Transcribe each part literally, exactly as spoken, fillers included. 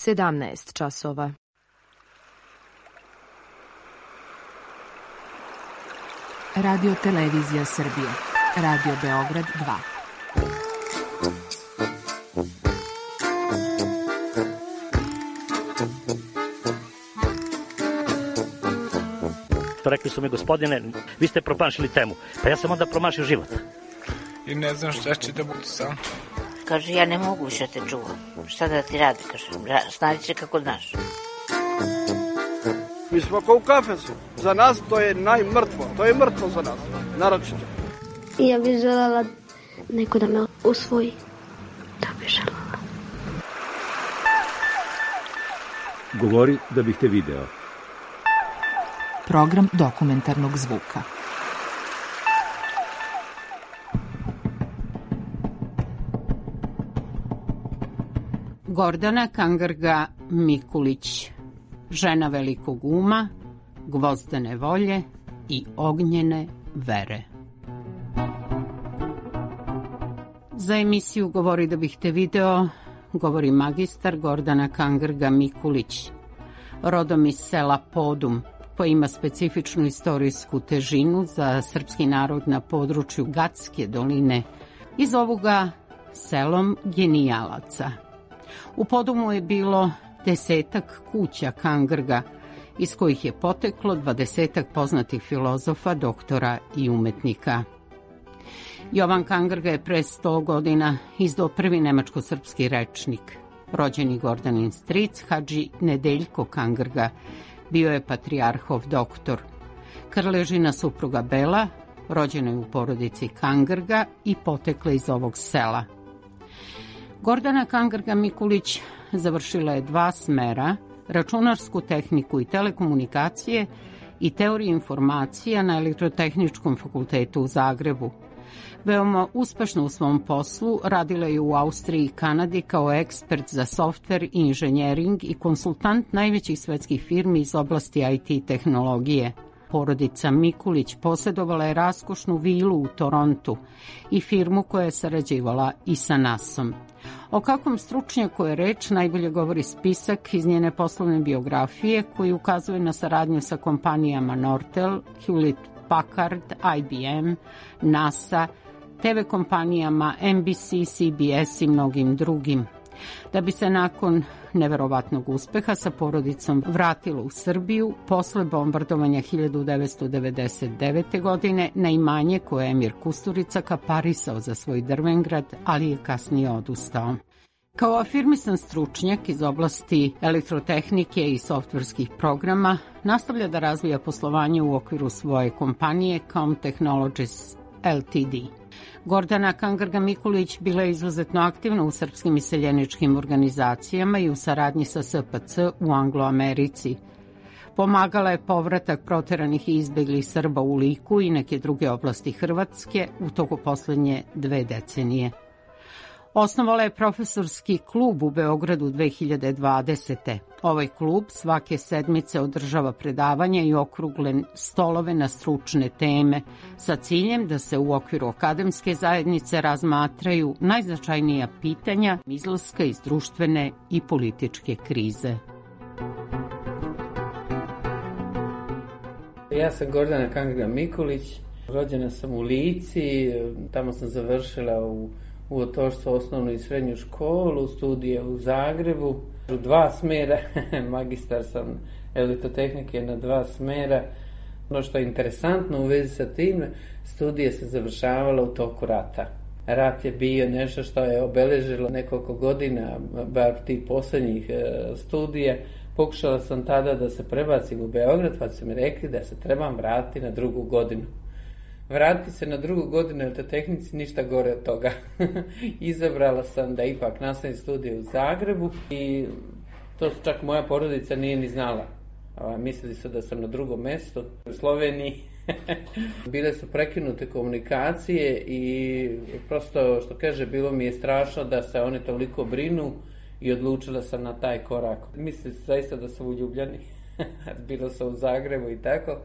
sedamnaest časova. Radio Televizija Srbije. Radio Beograd dva. Rekli su mi, gospodine, vi ste promašili temu. Pa ja sam onda promašio život. I ne znam šta će da budu sam. Kaže, ja ne mogu više te čuvam. Šta da ti radi, kaže, snađi se kako znaš. Mi smo kao u kafesu. Za nas to je najmrtvo. To je mrtvo za nas, naročito. Ja bih želela neko da me usvoji. To bih želela. Govori da bih te video. Program dokumentarnog zvuka. Gordana Kangrga Mikulić, žena velikog uma, gvozdene volje i ognjene vere. Za emisiju Govori da bih te video govori magistar Gordana Kangrga Mikulić, rodom iz sela Podum, koja ima specifičnu istorijsku težinu za srpski narod na području Gatske doline i zovu ga selom genijalaca. U Podumu je bilo desetak kuća Kangrga, iz kojih je poteklo dvadesetak poznatih filozofa, doktora i umetnika. Jovan Kangrga je pre sto godina izdao prvi nemačko-srpski rečnik. Rođeni Gordanin stric, Hadži Nedeljko Kangrga, bio je patrijarhov doktor. Krležina supruga Bela, rođena je u porodici Kangrga i potekla iz ovog sela. Gordana Kangrga Mikulić završila je dva smera, računarsku tehniku i telekomunikacije i teoriju informacija na Elektrotehničkom fakultetu u Zagrebu. Veoma uspešno u svom poslu radila je u Austriji i Kanadi kao ekspert za softver i inženjering i konsultant najvećih svetskih firmi iz oblasti I T tehnologije. Porodica Mikulić posjedovala je raskošnu vilu u Torontu i firmu koja je sarađivala i sa nasom. O kakvom stručnjaku je reč najbolje govori spisak iz njene poslovne biografije koji ukazuje na saradnju sa kompanijama Nortel, Hewlett Packard, I B M, NASA, T V kompanijama N B C, C B S i mnogim drugim. Da bi se nakon neverovatnog uspeha sa porodicom vratila u Srbiju posle bombardovanja hiljadu devetsto devedeset devete. godine na imanje koje je Emir Kusturica kaparisao za svoj Drvengrad, ali je kasnije odustao. Kao afirmisan stručnjak iz oblasti elektrotehnike i softverskih programa, nastavlja da razvija poslovanje u okviru svoje kompanije Com Technologies L T D. Gordana Kangrga Mikulić bila je izuzetno aktivna u srpskim iseljeničkim organizacijama i u saradnji sa S P C u Angloamerici. Pomagala je povratak proteranih i izbeglih Srba u Liku i neke druge oblasti Hrvatske u toku poslednje dve decenije. Osnovala je profesorski klub u Beogradu dve hiljade dvadesete. Ovaj klub svake sedmice održava predavanja i okrugle stolove na stručne teme sa ciljem da se u okviru akademske zajednice razmatraju najznačajnija pitanja izlaska iz društvene i političke krize. Ja sam Gordana Kangrga Mikulić, rođena sam u Lici, tamo sam završila u u otoštvo osnovnu i srednju školu, studije u Zagrebu, u dva smera, magistar sam elektrotehnike na dva smera. Ono što je interesantno u vezi sa tim, studije se završavala u toku rata. Rat je bio nešto što je obeležilo nekoliko godina, bar tih poslednjih studija. Pokušala sam tada da se prebacim u Beograd, pa su mi rekli da se trebam vratiti na drugu godinu. Vratiti se na drugu godinu elektrotehnici, ništa gore od toga. Izabrala sam da ipak nastavim studije u Zagrebu i to čak moja porodica nije ni znala. Mislili su da sam na drugom mestu u Sloveniji. Bile su prekinute komunikacije i prosto, što kaže, bilo mi je strašno da se oni toliko brinu i odlučila sam na taj korak. Mislili su zaista da su uljubljeni. Bilo sam u Zagrebu i tako.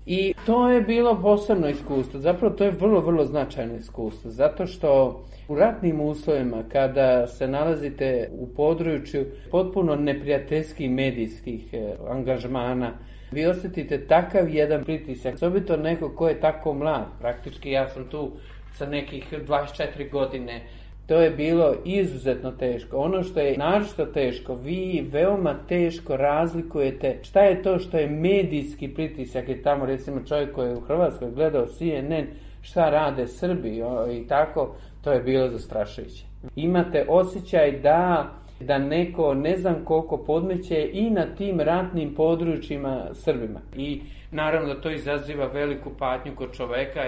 I to je bilo posebno iskustvo, zapravo to je vrlo, vrlo značajno iskustvo, zato što u ratnim uslovima kada se nalazite u području potpuno neprijateljskih medijskih angažmana, vi osjetite takav jedan pritisak, osobito neko ko je tako mlad, praktički ja sam tu sa nekih dvadeset četiri godine, to je bilo izuzetno teško. Ono što je naročito teško, vi veoma teško razlikujete šta je to što je medijski pritisak, i tamo recimo čovjek koji je u Hrvatskoj gledao C N N, šta rade Srbi i tako, to je bilo zastrašujuće. Imate osjećaj da, da neko ne znam koliko podmeće i na tim ratnim područjima Srbima. I naravno da to izaziva veliku patnju kod čoveka.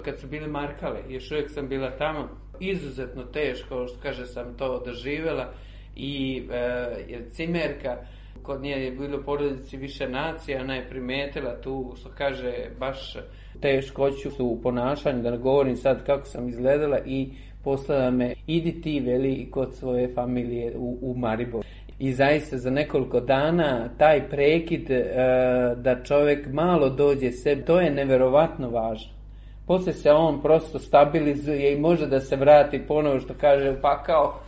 Kad su bili Markale, još uvijek sam bila tamo, izuzetno teško, što kaže, sam to doživjela. I e, cimerka, kod nje je bilo u porodici više nacija, ona je primetila tu, što kaže, baš teškoću u ponašanju, da ne govorim sad kako sam izgledala, i poslala me, idi ti, veli, kod svoje familije u, u Maribor. I zaista za nekoliko dana taj prekid e, da čovjek malo dođe sebi, to je neverovatno važno. Poslije se on prosto stabilizuje i može da se vrati ponovo, što kaže, pa kao,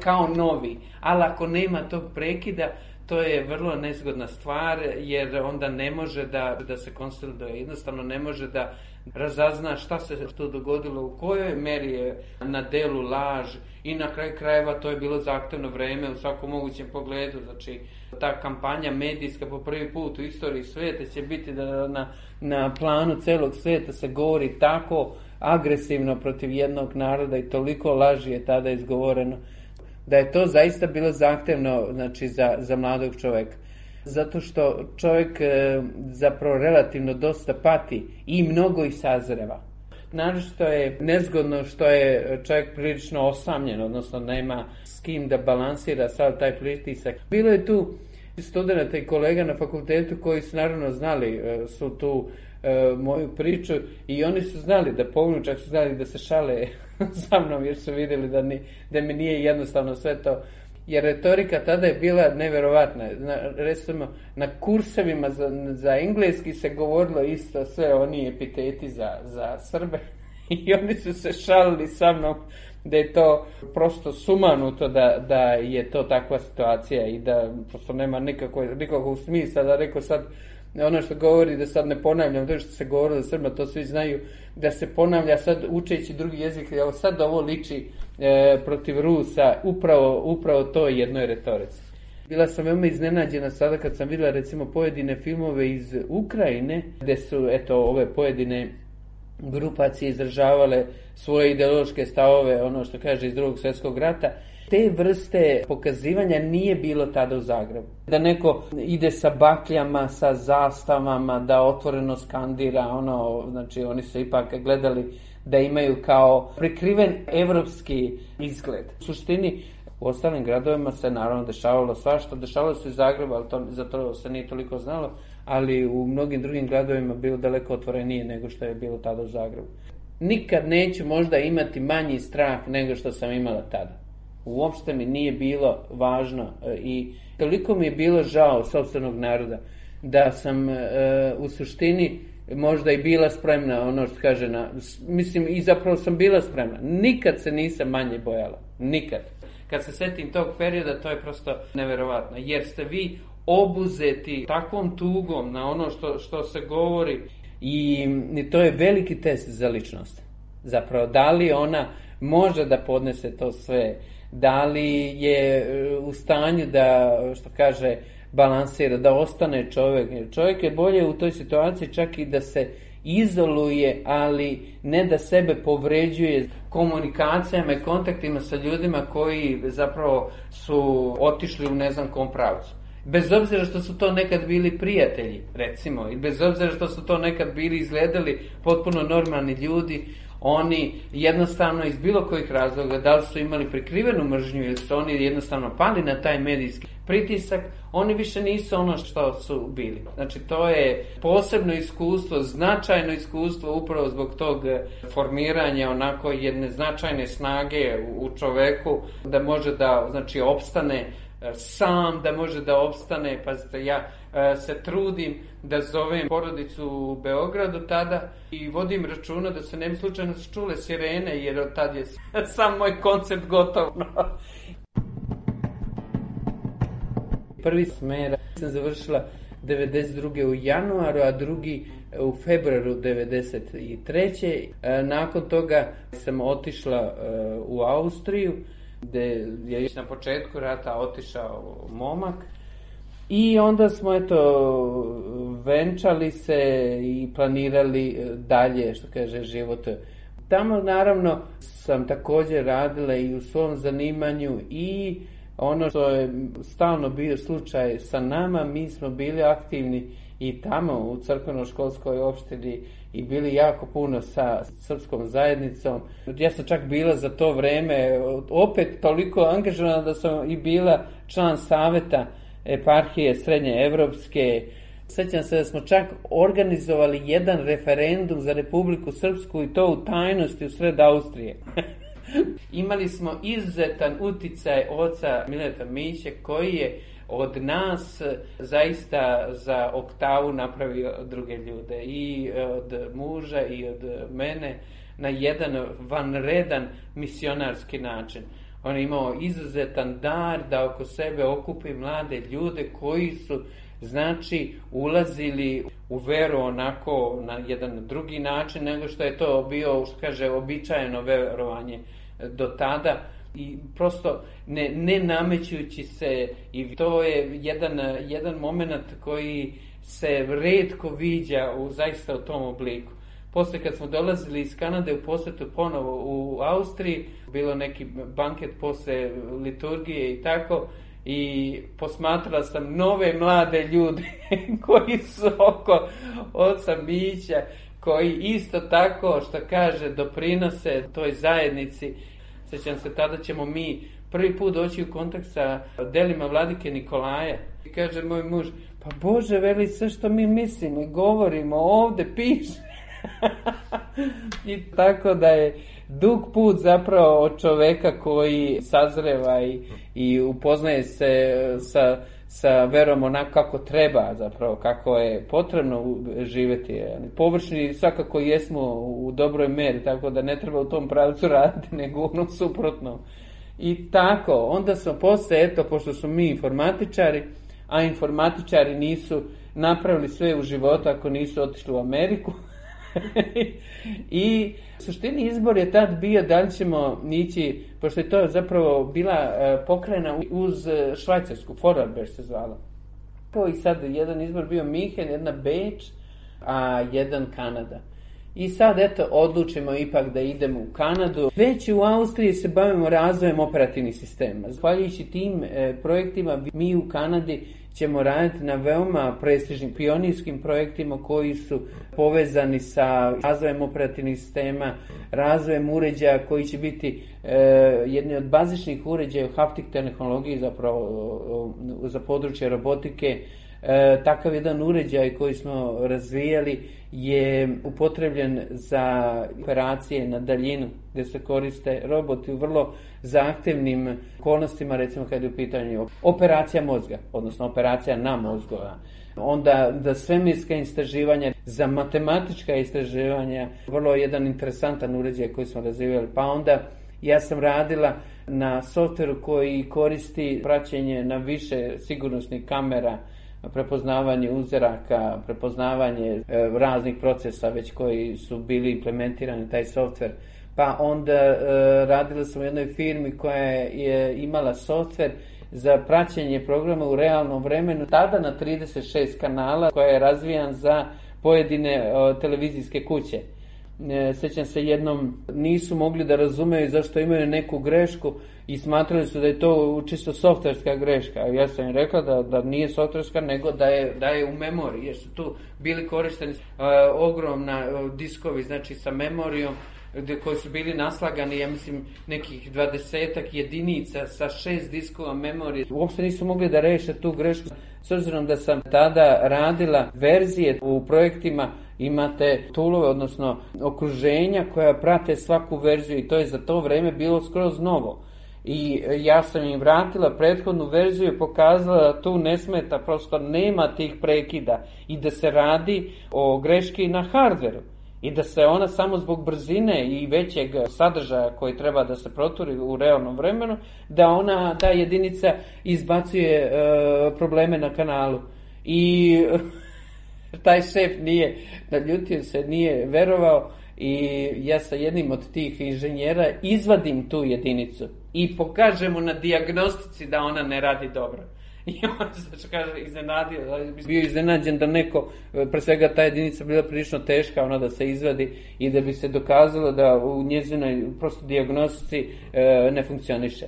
kao novi. Ali ako nema tog prekida, to je vrlo nezgodna stvar, jer onda ne može da, da se konsoliduje, jednostavno ne može da razazna šta se to dogodilo, u kojoj meri je na delu laž, i na kraju krajeva to je bilo zahtevno vreme u svakom mogućem pogledu. Znači, ta kampanja medijska po prvi put u istoriji svijeta će biti da na, na planu celog svijeta se govori tako agresivno protiv jednog naroda i toliko laži je tada izgovoreno, da je to zaista bilo zahtevno, znači, za, za mladog čovjeka. Zato što čovjek e, zapravo relativno dosta pati i mnogo ih sazreva. Naročito je nezgodno što je čovjek prilično osamljen, odnosno nema s kim da balansira sav taj pritisak. Bilo je tu studenta i kolega na fakultetu koji su naravno znali e, su tu e, moju priču, i oni su znali da pognu, čak su znali da se šale sa mnom, jer su vidjeli da, ni, da mi nije jednostavno sve to. Jer retorika tada je bila neverovatna. Na, recimo, na kursevima za, za engleski se govorilo isto sve oni epiteti za, za Srbe. I oni su se šalili sa mnom da je to prosto sumanuto, da, da je to takva situacija i da prosto nema nikakvog, nikakvog smisla. Da rekao sad, ono što govori, da sad ne ponavljam to što se govorilo za Srba, to svi znaju, da se ponavlja sad učeći drugi jezik, evo sad ovo liči e, protiv Rusa, upravo, upravo to jednoj retorici. Bila sam veoma iznenađena sada kad sam vidjela recimo pojedine filmove iz Ukrajine, gdje su eto ove pojedine grupacije izražavale svoje ideološke stavove, ono što kaže iz Drugog svjetskog rata. Te vrste pokazivanja nije bilo tada u Zagrebu. Da neko ide sa bakljama, sa zastavama, da otvoreno skandira, ono, znači oni su ipak gledali da imaju kao prikriven evropski izgled. U suštini, u ostalim gradovima se naravno dešavalo svašta, dešavalo se u Zagrebu, ali to, za to se nije toliko znalo, ali u mnogim drugim gradovima bilo daleko otvorenije nego što je bilo tada u Zagrebu. Nikad neću možda imati manji strah nego što sam imala tada. Uopšte mi nije bilo važno i toliko mi je bilo žao sopstvenog naroda da sam e, u suštini možda i bila spremna, ono što kaže, na, mislim i zapravo sam bila spremna. Nikad se nisam manje bojala. Nikad. Kad se setim tog perioda, to je prosto neverovatno. Jer ste vi obuzeti takvom tugom na ono što, što se govori i, i to je veliki test za ličnost. Zapravo, da li ona može da podnese to sve, da li je u stanju da, što kaže, balansira, da ostane čovjek. Čovjek je bolje u toj situaciji čak i da se izoluje, ali ne da sebe povređuje komunikacijama i kontaktima sa ljudima koji zapravo su otišli u ne znam kom pravcu. Bez obzira što su to nekad bili prijatelji, recimo, i bez obzira što su to nekad bili izgledali potpuno normalni ljudi, oni jednostavno iz bilo kojih razloga, da li su imali prikrivenu mržnju ili su oni jednostavno pali na taj medijski pritisak, oni više nisu ono što su bili. Znači, to je posebno iskustvo, značajno iskustvo upravo zbog tog formiranja onako jedne značajne snage u čoveku da može da, znači, opstane sam da može da opstane. Pazite, ja se trudim da zovem porodicu u Beogradu tada i vodim računa da se ne bi slučajno čule sirene, jer od tad je sam moj koncept gotov. Prvi smer sam završila devedeset druge u januaru, a drugi u februaru devedeset treće Nakon toga sam otišla u Austriju, gde je na početku rata otišao momak. I onda smo eto venčali se i planirali dalje, što kaže, život. Tamo naravno sam također radila i u svom zanimanju i ono što je stalno bio slučaj sa nama, mi smo bili aktivni i tamo u crkveno-školskoj opštini i bili jako puno sa srpskom zajednicom. Ja sam čak bila za to vreme opet toliko angažovana da sam i bila član saveta eparhije Srednje Evropske. Sjećam se da smo čak organizovali jedan referendum za Republiku Srpsku i to u tajnosti u sred Austrije. Imali smo izuzetan uticaj oca Mileta Miće koji je od nas zaista za oktavu napravio druge ljude. I od muža i od mene na jedan vanredan misionarski način. On je imao izuzetan dar da oko sebe okupi mlade ljude koji su, znači, ulazili u veru onako na jedan drugi način nego što je to bio, što kaže, običajeno verovanje do tada. I prosto ne, ne namećujući se, i to je jedan, jedan moment koji se retko viđa u, zaista u tom obliku. Posle kad smo dolazili iz Kanade u posjetu ponovo u Austriji, bilo neki banket posle liturgije i tako, i posmatrala sam nove mlade ljude koji su oko oca Mića, koji isto tako, što kaže, doprinose toj zajednici. Sjećam se, tada ćemo mi prvi put doći u kontakt sa delima vladike Nikolaja. I kaže moj muž, pa Bože, veli, sve što mi mislimo i govorimo ovde piše. I tako da je dug put zapravo od čoveka koji sazreva i, i upoznaje se sa, sa verom onako kako treba, zapravo kako je potrebno živjeti. Površni svakako jesmo u dobroj meri, tako da ne treba u tom pravcu raditi, nego ono suprotno. I tako, onda smo posle, eto, pošto su mi informatičari, a informatičari nisu napravili sve u životu ako nisu otišli u Ameriku, i u suštini izbor je tad bio da li ćemo ići, pošto je to zapravo bila pokrajina uz Švajcarsku, Vorarlberg se zvala. I sad jedan izbor bio Minhen, jedna Beč, a jedan Kanada. I sad eto odlučimo ipak da idemo u Kanadu. Već u Austriji se bavimo razvojem operativnih sistema. Zahvaljujući tim e, projektima mi u Kanadi ćemo raditi na veoma prestižnim pionirskim projektima koji su povezani sa razvojem operativnih sistema, razvojem uređaja koji će biti e, jedni od bazičnih uređaja u haptik tehnologiji zapravo za područje robotike. E, takav jedan uređaj koji smo razvijali je upotrebljen za operacije na daljinu, gdje se koriste roboti u vrlo zahtevnim okolnostima, recimo kad je u pitanju operacija mozga, odnosno operacija na mozgu. Onda za svemirska istraživanja, za matematička istraživanja, vrlo jedan interesantan uređaj koji smo razvijali. Pa onda ja sam radila na softveru koji koristi praćenje na više sigurnosnih kamera, prepoznavanje uzoraka, prepoznavanje e, raznih procesa već koji su bili implementirani taj softver. Pa onda e, radila sam u jednoj firmi koja je imala softver za praćenje programa u realnom vremenu, tada na trideset šest kanala, koja je razvijan za pojedine e, televizijske kuće. E, sjećam se, jednom nisu mogli da razumeju zašto imaju neku grešku i smatrali su da je to čisto softverska greška. Ja sam im rekla da, da nije softverska, nego da je, da je u memoriji, jer su tu bili korišteni uh, ogromna uh, diskovi, znači sa memorijom, gde, koji su bili naslagani, ja mislim, nekih dvadesetak jedinica sa šest diskova memorije. Uopšte nisu mogli da reše tu grešku. S obzirom da sam tada radila verzije u projektima, imate toolove, odnosno okruženja koja prate svaku verziju, i to je za to vreme bilo skroz novo. I ja sam im vratila prethodnu verziju i pokazala da tu ne smeta, prosto nema tih prekida i da se radi o greški na hardveru i da se ona samo zbog brzine i većeg sadržaja koji treba da se proturi u realnom vremenu, da ona, ta jedinica izbacuje e, probleme na kanalu. I taj šef nije, naljutio se, nije verovao i ja sa jednim od tih inženjera izvadim tu jedinicu i pokažem mu na dijagnostici da ona ne radi dobro. I on se kaže iznenadio, bio iznenađen da neko, pre svega ta jedinica bila prilično teška, ona da se izvadi i da bi se dokazalo da u njezinoj prosto dijagnostici e, ne funkcioniše.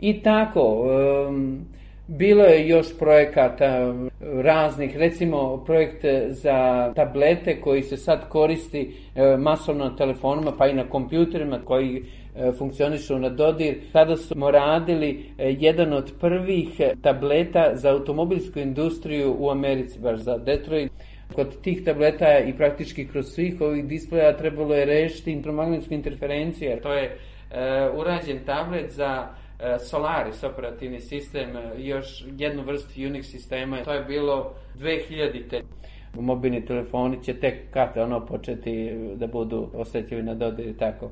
I tako, e, bilo je još projekata raznih, recimo projekt za tablete koji se sad koristi e, masovno na telefonima pa i na kompjuterima koji e, funkcionišu na dodir. Tada smo radili e, jedan od prvih tableta za automobilsku industriju u Americi, baš za Detroit. Kod tih tableta i praktički kroz svih ovih displeja trebalo je rešiti elektromagnetsku interferenciju, jer to je e, urađen tablet za Solaris operativni sistem, još jednu vrstu Unix sistema. To je bilo dve hiljadite. Mobilni telefoni će tek kad ono početi da budu osjetljivi na dodir i tako.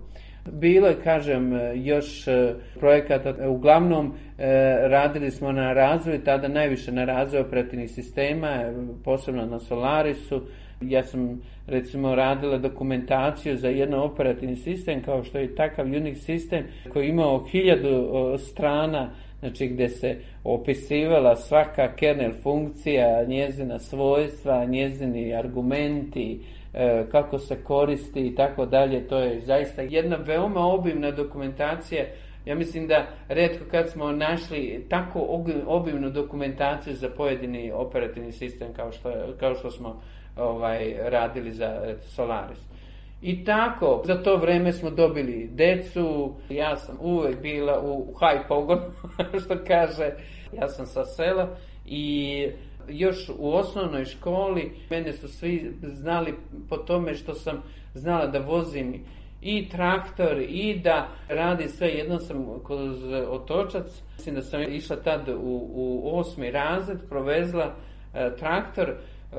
Bilo je, kažem, još projekata. Uglavnom radili smo na razvoju, tada najviše na razvoju operativnih sistema, posebno na Solarisu. Ja sam, recimo, radila dokumentaciju za jedan operativni sistem, kao što je takav Unix sistem, koji je imao hiljadu strana, znači gdje se opisivala svaka kernel funkcija, njezina svojstva, njezini argumenti, kako se koristi i tako dalje. To je zaista jedna veoma obimna dokumentacija. Ja mislim da retko kad smo našli tako obimnu dokumentaciju za pojedini operativni sistem kao što, kao što smo ovaj, radili za Solaris. I tako, za to vreme smo dobili decu, ja sam uvek bila u high pogonu, što kaže, ja sam sa sela i još u osnovnoj školi mene su svi znali po tome što sam znala da vozim i traktor i da radi sve. Jednom sam kroz Otočac, mislim da sam išla tad u, u osmi razred, provezla e, traktor,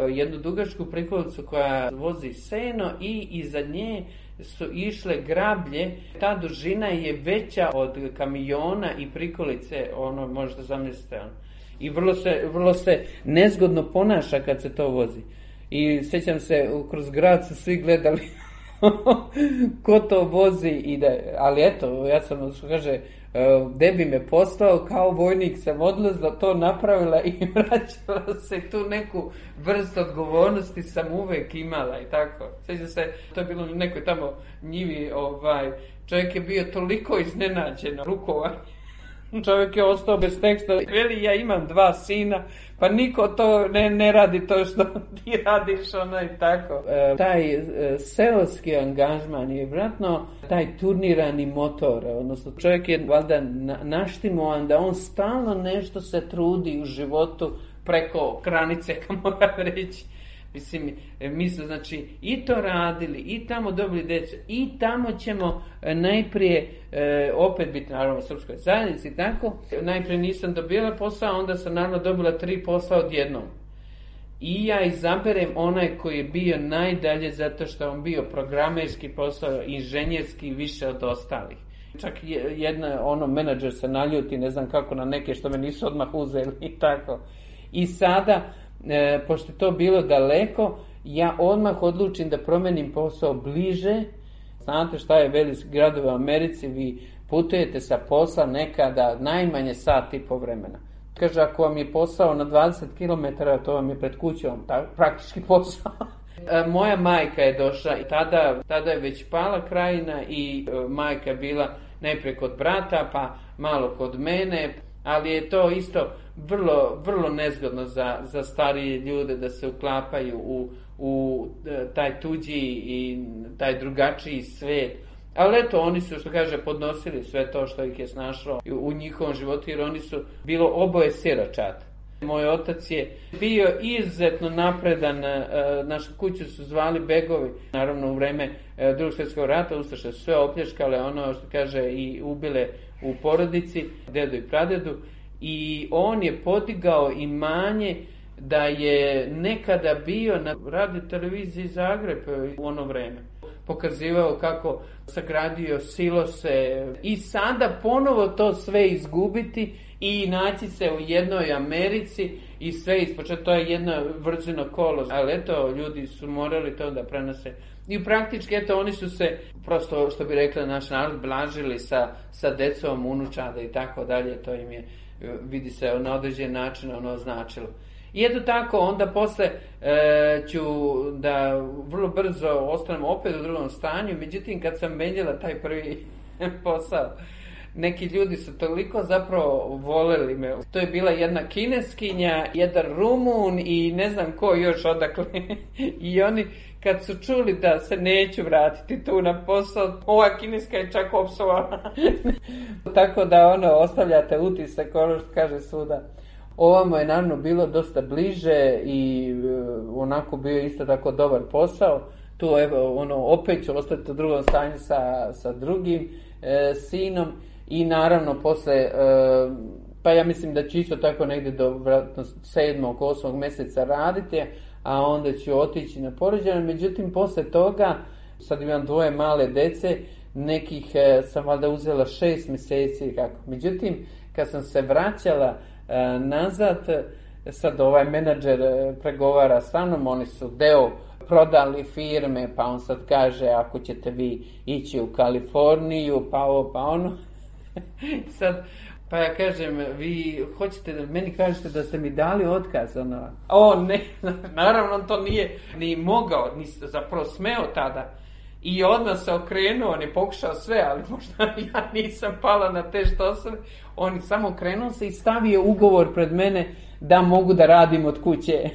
jednu dugačku prikolicu koja vozi seno i iza nje su išle grablje. Ta dužina je veća od kamiona i prikolice, ono možete zamisliti. Ono. I vrlo se, vrlo se nezgodno ponaša kad se to vozi. I sjećam se, kroz grad su svi gledali ko to vozi i da, ali eto, ja sam, što kaže, gde bi me poslao, kao vojnik sam odlazila, to napravila i vraćala se. Tu neku vrstu odgovornosti sam uvek imala i tako. Sjećam se, to je bilo u nekoj tamo njivi, ovaj, čovjek je bio toliko iznenađen rukovanje. Čovjek je ostao bez teksta. Veli, ja imam dva sina, pa niko to ne, ne radi to što ti radiš, ono i tako. E, taj e, seoski angažman je vratno taj turnirani motor, odnosno čovjek je valjda na, naštimovan da on stalno nešto se trudi u životu preko granice, kako moram reći. Mislim, mi smo znači i to radili, i tamo dobili djecu, i tamo ćemo najprije e, opet biti naravno u srpskoj zajednici i tako. Najprije nisam dobila posao, onda sam naravno dobila tri posla odjednom. I ja izaberem onaj koji je bio najdalje zato što je on bio programerski posao, inženjerski više od ostalih. Čak jedna, ono, menadžer se naljuti, ne znam kako, na neke što me nisu odmah uzeli i tako. I sada, E, pošto je to bilo daleko, ja odmah odlučim da promenim posao bliže. Znate šta je veliki gradovi u Americi, vi putujete sa posla nekada najmanje sat i po vremena. Kaže, ako vam je posao na dvadeset kilometara, to vam je pred kućom, ta, praktički posao. E, moja majka je došla i tada, tada je već pala krajina i e, majka je bila najprije kod brata, pa malo kod mene. Ali je to isto vrlo, vrlo nezgodno za, za starije ljude da se uklapaju u, u taj tuđi i taj drugačiji svijet. Ali eto, oni su, što kaže, podnosili sve to što ih je snašlo u njihovom životu, jer oni su bilo oboje siročad. Moj otac je bio izuzetno napredan, našu kuću su zvali Begovi. Naravno, u vreme Drugog svjetskog rata ustaše su sve opljačkale, ono što kaže, i ubile u porodici, dedu i pradedu, i on je podigao imanje da je nekada bio na radio televiziji Zagreb u ono vreme. Pokazivao kako sagradio silose i sada ponovo to sve izgubiti i naći se u jednoj Americi i sve ispočeti. To je jedno vrđeno kolo, ali eto, ljudi su morali to da prenose. I praktički, eto, oni su se, prosto, što bi rekla naš narod, blažili sa, sa decom, unučada i tako dalje. To im je, vidi se, na određen način ono značilo. I eto tako, onda posle e, ću da vrlo brzo ostanem opet u drugom stanju, međutim kad sam menjala taj prvi posao, neki ljudi su toliko zapravo voleli me. To je bila jedna Kineskinja, jedan Rumun i ne znam ko još odakle. I oni kad su čuli da se neću vratiti tu na posao, ova Kineska je čak opsovala. Tako da ono, ostavljate utisak, ono što kaže svuda. Ovamo je naravno bilo dosta bliže i uh, onako bio isto tako dobar posao. Tu evo, ono, opet ću ostati u drugom stanju sa, sa drugim e, sinom i naravno posle, e, pa ja mislim da ću isto tako negdje do vratno sedmog, osmog mjeseca raditi, a onda ću otići na porođaj. Međutim, posle toga, sad imam dvoje male dece, nekih e, sam valjda uzela šest mjeseci. Kako. Međutim, kad sam se vraćala e, nazad, sad ovaj menadžer pregovara sa mnom, oni su deo prodali firme, pa on sad kaže ako ćete vi ići u Kaliforniju, pa ovo, pa ono. Sad, pa ja kažem, vi hoćete da meni kažete da ste mi dali otkaz, ono. O ne, naravno on to nije ni mogao, ni zapravo smeo tada. I odmah se okrenuo, on je pokušao sve, ali možda ja nisam pala na te štosove. On je samo okrenuo se i stavio ugovor pred mene da mogu da radim od kuće.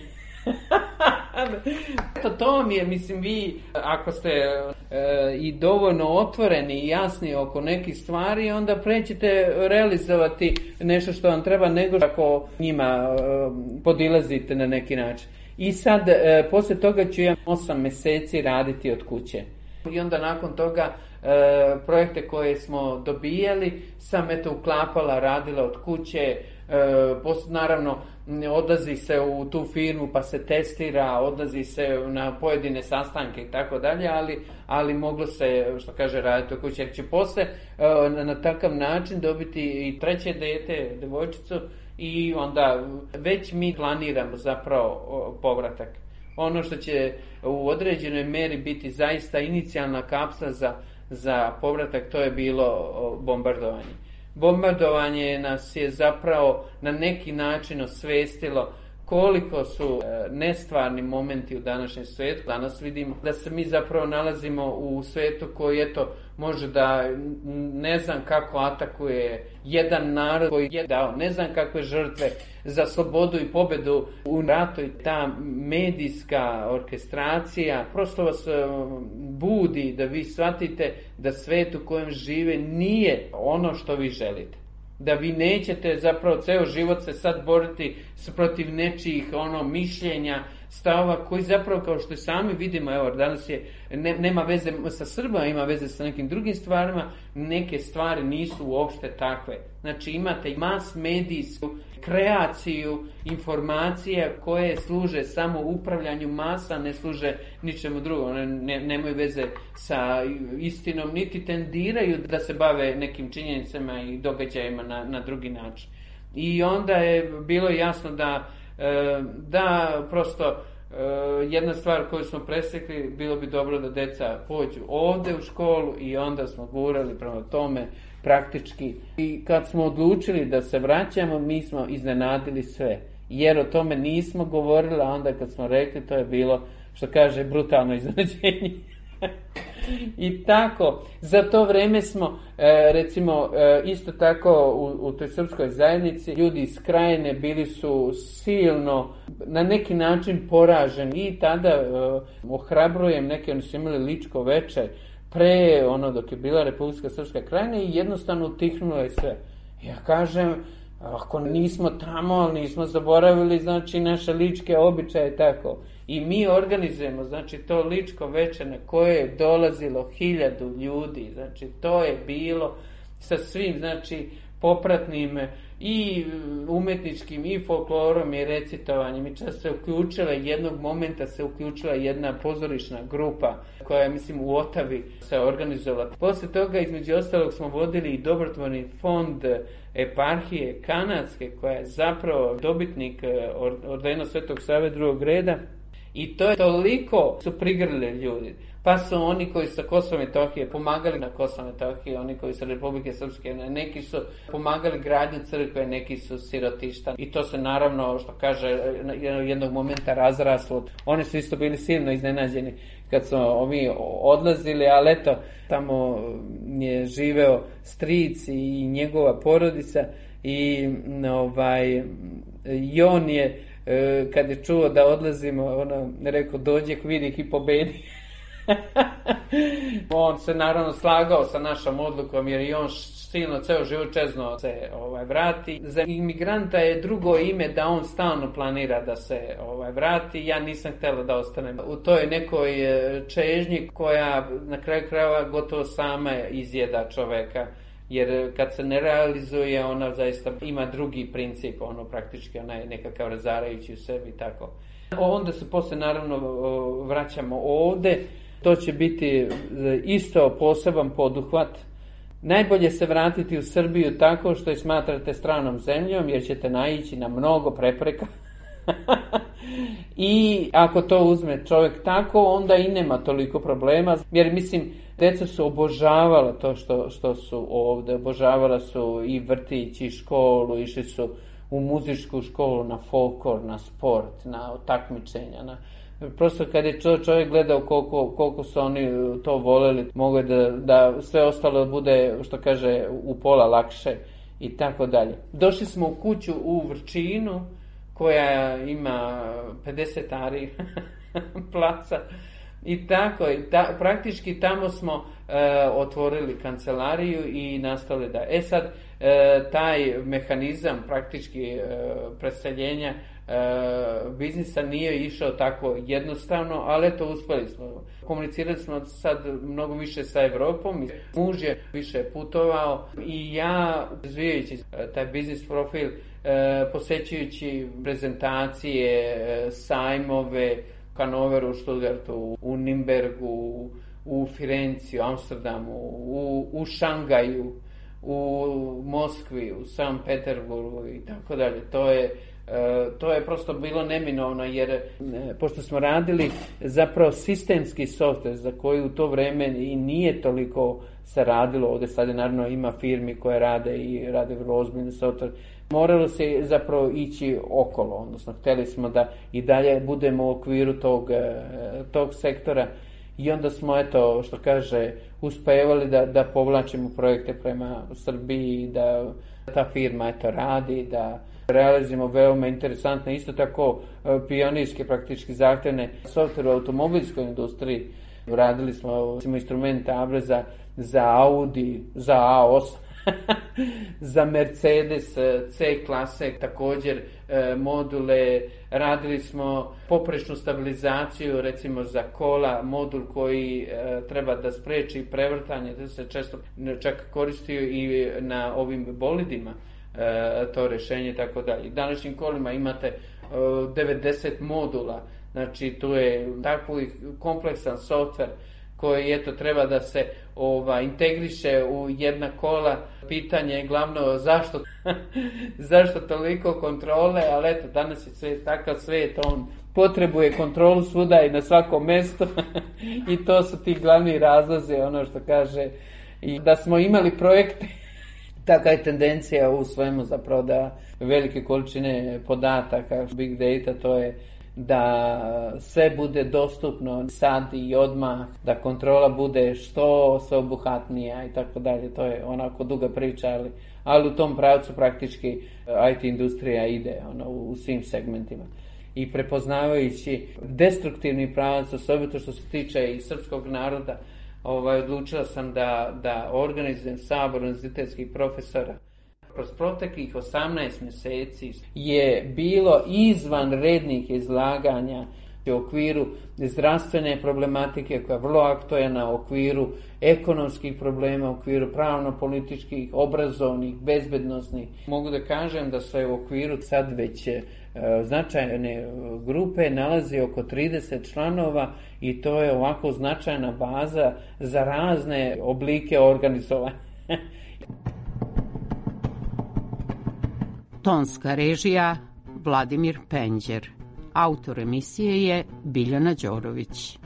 Eto, to mi je, mislim, vi, ako ste e, i dovoljno otvoreni i jasni oko nekih stvari, onda prećete realizovati nešto što vam treba, nego ako njima e, podilazite na neki način. I sad, e, poslije toga ću ja osam mjeseci raditi od kuće. I onda nakon toga e, projekte koje smo dobijali sam eto uklapala, radila od kuće, e, post, naravno odlazi se u tu firmu pa se testira, odlazi se na pojedine sastanke i tako dalje, ali, ali moglo se, što kaže, raditi od kuće. Jer će posle e, na, na takav način dobiti i treće dete, devojčicu, i onda već mi planiramo zapravo o, povratak. Ono što će u određenoj meri biti zaista inicijalna kapsla za, za povratak, to je bilo bombardovanje. Bombardovanje nas je zapravo na neki način osvestilo koliko su nestvarni momenti u današnjem svijetu. Danas vidimo da se mi zapravo nalazimo u svijetu koji, eto, može da ne znam kako atakuje jedan narod koji je dao ne znam kakve žrtve za slobodu i pobedu u ratu. I ta medijska orkestracija prosto vas budi da vi shvatite da svijet u kojem žive nije ono što vi želite. Da vi nećete zapravo ceo život se sad boriti protiv nečijih ono mišljenja, stavova koji zapravo, kao što sami vidimo, evo danas je, ne, nema veze sa Srbima, ima veze sa nekim drugim stvarima, neke stvari nisu uopšte takve. Znači imate mas medijsku kreaciju informacija koje služe samo upravljanju masa, ne služe ničemu drugom, one ne, nemaju veze sa istinom, niti tendiraju da se bave nekim činjenicama i događajima na, na drugi način. I onda je bilo jasno da da prosto jedna stvar koju smo presekli, bilo bi dobro da deca pođu ovdje u školu, i onda smo gurali prema tome praktički. I kad smo odlučili da se vraćamo, mi smo iznenadili sve, jer o tome nismo govorili, a onda kad smo rekli, to je bilo, što kaže, brutalno iznenađenje. I tako, za to vrijeme smo, e, recimo, e, isto tako u, u toj srpskoj zajednici, ljudi iz Krajine bili su silno, na neki način poraženi, i tada e, ohrabrujem, neki oni su imali ličko večer, pre, ono, dok je bila Republika Srpska Krajina, i jednostavno utihnulo je sve. Ja kažem, ako nismo tamo, ali nismo zaboravili, znači, naše ličke običaje, tako. I mi organizujemo, znači, to ličko večer na koje je dolazilo hiljadu ljudi, znači, to je bilo sa svim, znači, popratnim i umetničkim i folklorom i recitovanjem i čak se uključila jednog momenta se uključila jedna pozorišna grupa koja je, mislim, u Otavi se organizovala. Posle toga, između ostalog, smo vodili i dobrotvorni fond eparhije kanadske koja je zapravo dobitnik ordena Svetog Save drugog reda i to je toliko su prigrlili ljudi. Pa su oni koji sa Kosova i Metohije pomagali na Kosovo i Metohiji, oni koji su Republike Srpske, neki su pomagali gradnju crkve, neki su sirotišta. I to se naravno, što kaže, jednog momenta razraslo. Oni su isto bili silno iznenađeni kad su mi odlazili, ali eto, tamo je živeo stric i njegova porodica i ovaj, i on je, kad je čuo da odlazimo, ono, rekao, dođe, vidi ih i pobedi. On se naravno slagao sa našom odlukom jer i on silno ceo život čezno se ovaj, vrati. Za imigranta je drugo ime da on stalno planira da se ovaj, vrati. Ja nisam htjela da ostanem u toj nekoj čežnji koja na kraju krajeva gotovo sama izjeda čoveka. Jer kad se ne realizuje, ona zaista ima drugi princip, ono praktički ona je nekakav razarajući u sebi i tako. Onda se posle naravno vraćamo ovde. To će biti isto poseban poduhvat. Najbolje se vratiti u Srbiju tako što je smatrate stranom zemljom, jer ćete naići na mnogo prepreka. I ako to uzme čovjek tako, onda i nema toliko problema. Jer mislim, deca su obožavala to što, što su ovde. Obožavala su i vrtić i školu, išli su u muzičku školu, na folklor, na sport, na takmičenja, na... Prosto kad je čovjek gledao koliko, koliko su oni to voleli, mogu da, da sve ostalo bude, što kaže, u pola lakše i tako dalje. Došli smo u kuću u Vrčinu koja ima pedeset ari placa i tako, i ta, praktički tamo smo e, otvorili kancelariju i nastavili da. E sad, e, taj mehanizam praktički e, preseljenja E, biznisa nije išao tako jednostavno, ali eto uspeli smo. Komunicirali smo sad mnogo više sa Evropom, muž je više putovao i ja, razvijajući taj biznis profil, e, posećujući prezentacije, e, sajmove, u Hanoveru, u Stuttgartu, u Nimbergu, u Firenci, u Amsterdamu, u, u Šangaju, u Moskvi, u Sankt Peterburgu i tako dalje. To je E, to je prosto bilo neminovno jer e, pošto smo radili zapravo sistemski softver za koji u to vreme i nije toliko se radilo, ovdje sad je naravno ima firmi koje rade i rade vrlo ozbiljni softver, moralo se zapravo ići okolo, odnosno htjeli smo da i dalje budemo u okviru tog, tog sektora i onda smo, eto, što kaže, uspevali da, da povlačimo projekte prema Srbiji, da ta firma, eto, radi, da realizujemo veoma interesantne, isto tako pionirske, praktički zahtevne softvere u automobilskoj industriji. Radili smo, smo instrumente Abreza za Audi, za A osam, za Mercedes C klase, također module. Radili smo poprečnu stabilizaciju, recimo za kola, modul koji treba da spreči prevrtanje, da se često čak koristio i na ovim bolidima. To rješenje i tako dalje. Današnjim kolima imate devedeset modula, znači tu je tako kompleksan softver koji eto treba da se ova, integriše u jedna kola. Pitanje je glavno zašto zašto toliko kontrole, ali eto danas je sve takav svijet, on potrebuje kontrolu svuda i na svakom mjestu i to su ti glavni razlozi, ono što kaže, i da smo imali projekte. Taka je tendencija u svemu zapravo da velike količine podataka, big data, to je da sve bude dostupno sad i odmah, da kontrola bude što sveobuhvatnija i tako dalje. To je onako duga priča, ali, ali u tom pravcu praktički I T industrija ide ono, u svim segmentima. I prepoznavajući destruktivni pravac, osobito što se tiče i srpskog naroda, Ovaj, odlučila sam da, da organizujem sabor univerzitetskih profesora. Kroz proteklih osamnaest mjeseci je bilo izvanrednih izlaganja U okviru zdravstvene problematike koja je vrlo aktuelna, u okviru ekonomskih problema, u okviru pravno-političkih, obrazovnih, bezbednosnih. Mogu da kažem da se u okviru sad već e, značajne grupe nalazi oko trideset članova i to je ovako značajna baza za razne oblike organizovanja. Tonska režija Vladimir Penđer. Autor emisije je Biljana Đorović.